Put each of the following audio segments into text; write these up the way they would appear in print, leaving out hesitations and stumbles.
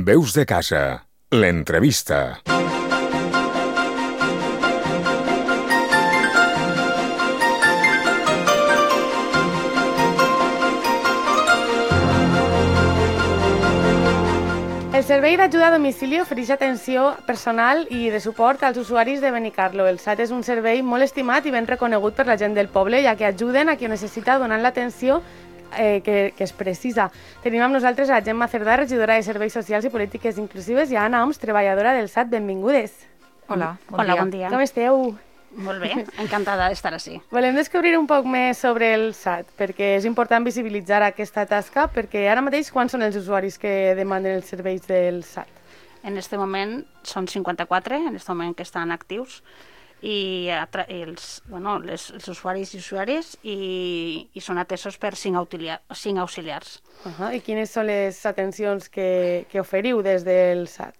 Veus de casa, l'entrevista. El Servei d'Ajuda a Domicili ofereix atenció personal i de suport als usuaris de Benicarló. El SAT és un servei molt estimat i ben reconegut per la gent del poble, ja que ajuden a qui ho necessita donant l'atenció que es precisa. Tenim amb nosaltres a Gemma Cerdà, regidora de Serveis Socials i Polítiques Inclusives, i a Anna Oms, treballadora del SAT. Benvingudes. Hola, bon dia. Com esteu? Molt bé, encantada d'estar així. Volem descobrir un poc més sobre el SAT, perquè és important visibilitzar aquesta tasca, perquè ara mateix quants són els usuaris que demanen els serveis del SAT? En aquest moment són 54, en aquest moment que estan actius, i els usuaris i usuàries i són atesos per 5 auxiliars. I quines són les atencions que oferiu des del SAT?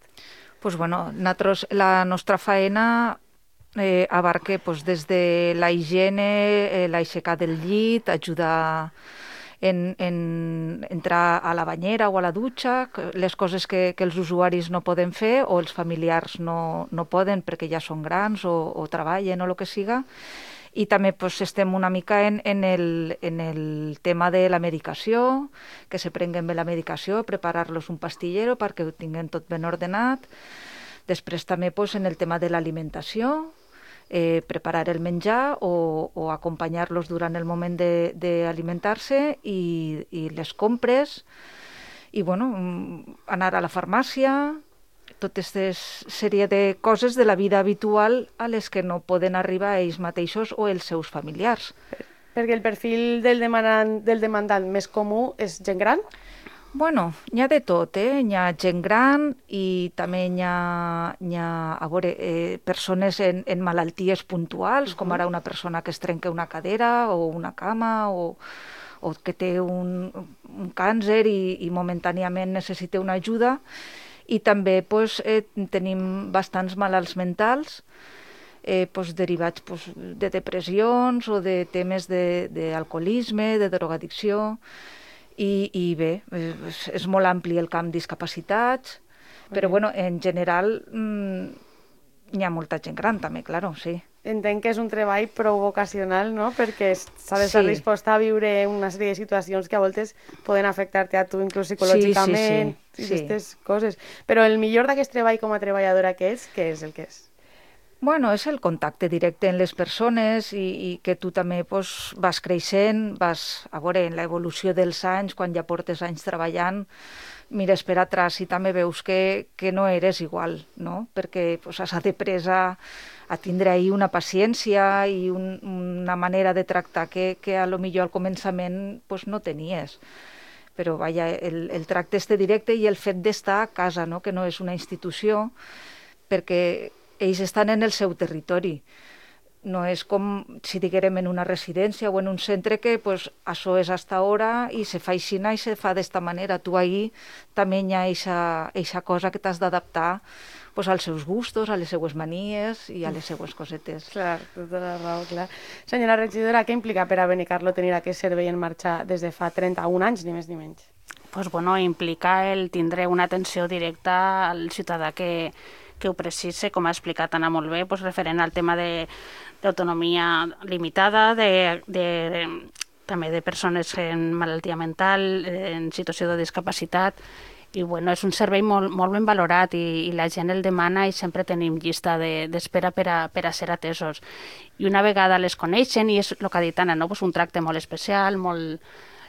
Pues bueno, la nostra faena abarca des de la higiene, l'aixecar del llit, ajudar en entrar a la banyera o a la dutxa, les coses que els usuaris no poden fer o els familiars no poden perquè ja són grans o treballen o el que siga. I també estem una mica en el tema de la medicació, que se prenguen bé la medicació, preparar-los un pastillero perquè ho tinguin tot ben ordenat. Després també en el tema de l'alimentació, preparar el menjar o acompanyar-los durant el moment d'alimentar-se i les compres i anar a la farmàcia, tota aquesta sèrie de coses de la vida habitual a les que no poden arribar ells mateixos o els seus familiars. Perquè el perfil del demandant més comú és gent gran? Bueno, n'hi ha de tot, N'hi ha gent gran i també n'hi ha persones en malalties puntuals, com ara una persona que es trenca una cadera o una cama o que té un càncer i momentàniament necessita una ajuda. I també tenim bastants malalts mentals derivats de depressions o de temes d'alcoholisme, de drogadicció. I bé, és molt ampli el camp de discapacitats, però en general n'hi ha molta gent gran també, claro, sí. Entenc que és un treball prou vocacional, no? Perquè s'ha d'estar disposta a viure una sèrie de situacions que a voltes poden afectar-te a tu inclús psicològicament i aquestes coses. Però el millor d'aquest treball com a treballadora què és el que és? Bueno, és el contacte directe amb les persones i que tu també vas creixent, vas a veure en l'evolució dels anys, quan ja portes anys treballant, mires per atràs i també veus que no eres igual, no? Perquè has après a tindre ahir una paciència i una manera de tractar que a lo millor al començament no tenies. Però vaja, el tracte directe i el fet d'estar a casa, no? Que no és una institució, perquè ells estan en el seu territori. No és com si diguérem en una residència o en un centre que això és hasta hora i se fa així i se fa d'esta manera. Tu ahir també hi ha eixa cosa que t'has d'adaptar als seus gustos, a les seues manies i a les seues cosetes. Clar, tota la raó, clar. Senyora regidora, què implica per a Benicarló tenir aquest servei en marxa des de fa 31 anys, ni més ni menys? Implica el tindre una atenció directa al ciutadà que ho precise, com ha explicat Anna molt bé, referent al tema d'autonomia limitada, també de persones en malaltia mental, en situació de discapacitat, i és un servei molt ben valorat i la gent el demana i sempre tenim llista d'espera per a ser atesos. I una vegada les coneixen, i és el que ha dit Anna, un tracte molt especial,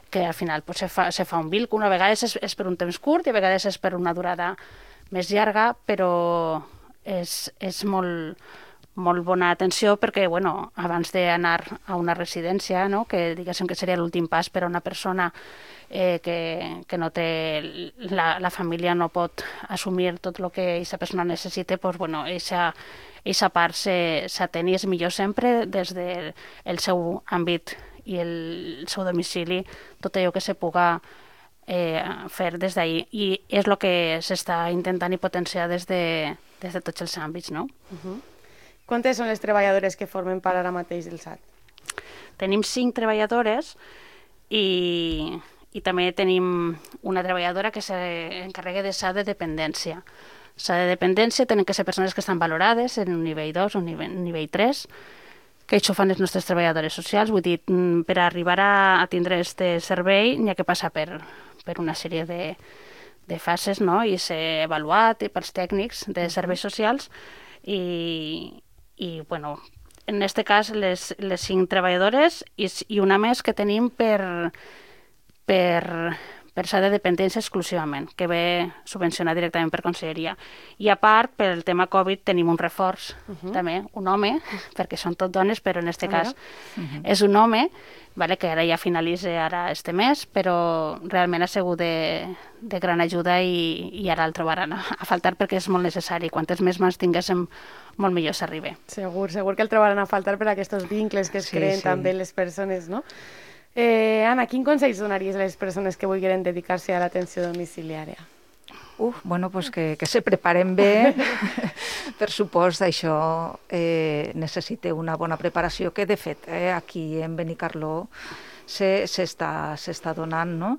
que al final se fa un víncut, a vegades és per un temps curt i a vegades és per una durada més llarga, però és molt bona atenció perquè, abans d'anar a una residència, que diguéssim que seria l'últim pas per a una persona que no té, la família no pot assumir tot el que aquesta persona necessita, aquesta part s'atén i és millor sempre des del seu àmbit i el seu domicili, tot allò que se puga fer des d'ahir, i és el que s'està intentant i potenciar des de tots els àmbits, no? Quantes són les treballadores que formen part ara mateix del SAT? Tenim 5 treballadores i I també tenim una treballadora que s'encarrega de SAD de dependència. SAD de dependència tenen que ser persones que estan valorades en un nivell 2 o un nivell 3, que això fan les nostres treballadores socials. Vull dir, per arribar a tindre aquest servei n'hi ha que passar per una sèrie de fases, no? I ser avaluat pels tècnics de serveis socials i bueno, en aquest cas les 5 treballadores i una més que tenim per SAD de dependència exclusivament, que ve subvencionat directament per Conselleria. I a part, per el tema Covid, tenim un reforç, també, un home, perquè són tot dones, però en aquest cas és un home, vale, que ara ja finalitza ara este mes, però realment ha sigut de gran ajuda i ara el trobaran a faltar perquè és molt necessari. Quantes més mans tinguéssim, molt millor s'arriba. Segur que el trobaran a faltar per aquests vincles que es creen també les persones, no? Anna, quin consell donaries a les persones que vulguin dedicar-se a l'atenció domiciliària? Bueno, pues que se preparen bé. Per supost, això necessita una bona preparació que, de fet, aquí en Benicarló s'està donant, no?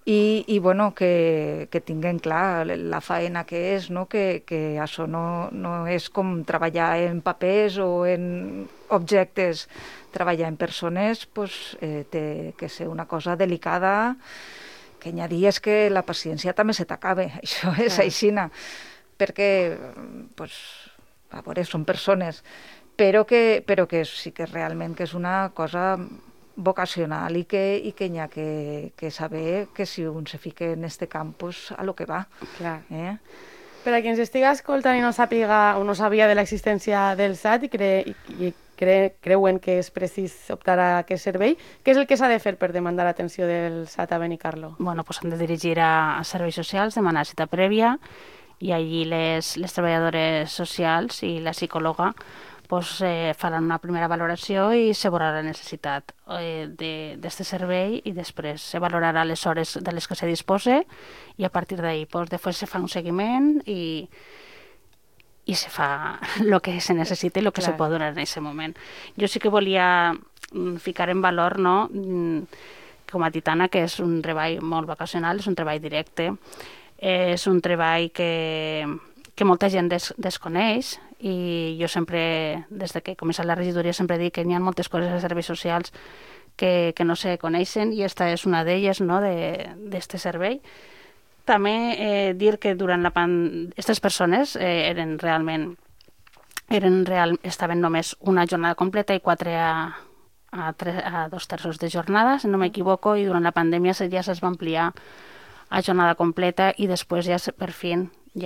I bueno, que tinguin clar la faena que és, no? Que això no és com treballar en papers o en objectes. Treballar en persones pues, té que ser una cosa delicada, que n'hi ha dies que la paciència també se t'acaba, això és aixina, perquè pues, a veure, són persones, però que sí que realment que és una cosa vocacional i que n'hi ha que saber que si un se fica en este camp, pues, a lo que va. Clar. Per a qui ens estiga escoltant i no sàpiga o no sabia de l'existència del SAT i creuen que és precís optar a aquest servei, què és el que s'ha de fer per demandar l'atenció del SAT a Benicarló? Bueno, pues han de dirigir a serveis socials, demanar cita prèvia i allí les treballadores socials i la psicòloga pues, faran una primera valoració i se veurà la necessitat d'aquest servei i després se valorarà les hores de les que se dispose i a partir d'ahí pues, després se fa un seguiment i se fa el que se necessita i el que se pot donar en aquest moment. Jo sí que volia ficar en valor, no, com a Titana, que és un treball molt vacacional, és un treball directe, és un treball que molta gent desconeix i jo sempre, des que he començat la regidoria, sempre dic que n'hi ha moltes coses a serveis socials que no se coneixen i esta és una d'elles, no, d'aquest servei. També dir que durant la pandèmia aquestes persones estaven només una jornada completa i 4 a 2/3 de jornada, si no m'equivoco, i durant la pandèmia ja es va ampliar a jornada completa i després ja per fi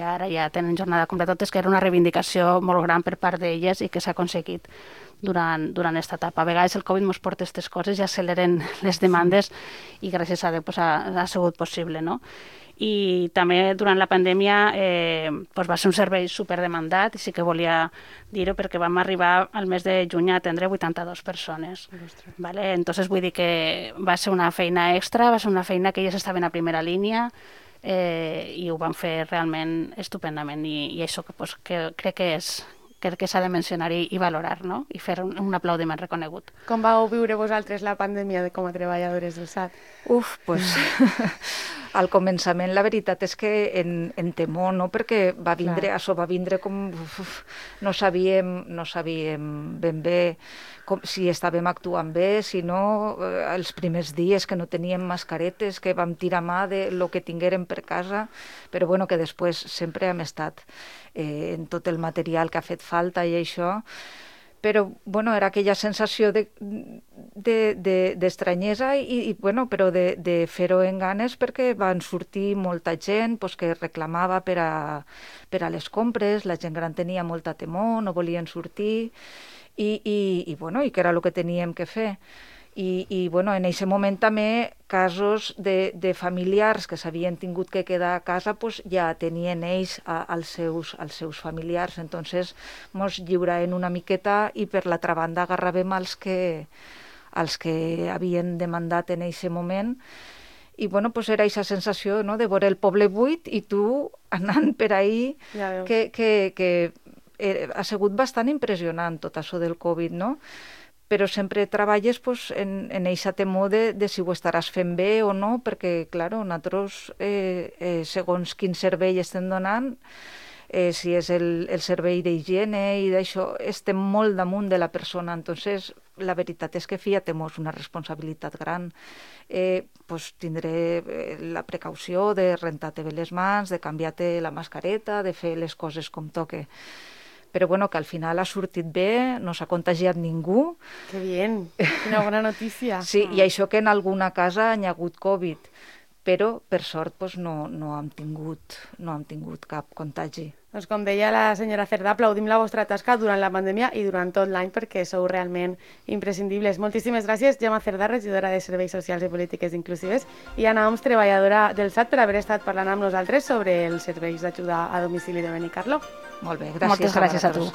ara ja tenen jornada completa, tot és que era una reivindicació molt gran per part d'elles i que s'ha aconseguit durant aquesta etapa. A vegades el Covid ens porta aquestes coses i acceleren les demandes i gràcies a Déu pues, ha sigut possible, no? I també durant la pandèmia pues va ser un servei superdemandat i sí que volia dir-ho perquè vam arribar al mes de juny a atendre 82 persones. Vale? Entonces vull dir que va ser una feina extra, va ser una feina que elles estaven a primera línia i ho van fer realment estupendament i això pues, que crec que s'ha de mencionar i valorar, no? I fer un aplaudiment reconegut. Com vau viure vosaltres la pandèmia com a treballadores del SAT? Pues al començament la veritat és que en temor, no? Perquè això va vindre com... No sabíem ben bé si estàvem actuant bé, si no, els primers dies que no teníem mascaretes, que vam tirar mà de lo que tinguérem per casa, però bueno, que després sempre hem estat en tot el material que ha fet falta i això, però bueno, era aquella sensació d'estranyesa i bueno, però de fer-ho en ganes perquè van sortir molta gent pues, que reclamava per a les compres, la gent gran tenia molta temor, no volien sortir i bueno, i que era el que teníem que fer. I bueno, en aquest moment també casos de familiars que s'havien tingut que quedar a casa pues, ja tenien ells als seus familiars, entonces mos lliuraven una miqueta i per l'altra banda agarràvem els que havien demandat en aquest moment i bueno, pues era aquesta sensació, no?, de veure el poble buit i tu anant per ahí que ha sigut bastant impressionant tot això del Covid, no? però sempre treballes en eixa temor de si ho estaràs fent bé o no, perquè, clar, nosaltres, segons quin servei estem donant, si és el servei d'higiene i d'això, estem molt damunt de la persona. Entonces, la veritat és que fia-te-mos una responsabilitat gran. Tindré la precaució de rentar-te bé les mans, de canviar-te la mascareta, de fer les coses com toque. Però bueno, que al final ha sortit bé, no s'ha contagiat ningú. Que bien, una bona notícia. Sí, i això que en alguna casa hi ha hagut Covid, però per sort no hem tingut cap contagi. Doncs com deia la senyora Cerdà, aplaudim la vostra tasca durant la pandèmia i durant tot l'any perquè sou realment imprescindibles. Moltíssimes gràcies, Gemma Cerdà, regidora de Serveis Socials i Polítiques Inclusives, i Anna Oms, treballadora del SAT, per haver estat parlant amb nosaltres sobre els serveis d'ajuda a domicili de Benicarló. Molt bé, gràcies. Moltes gràcies a tu.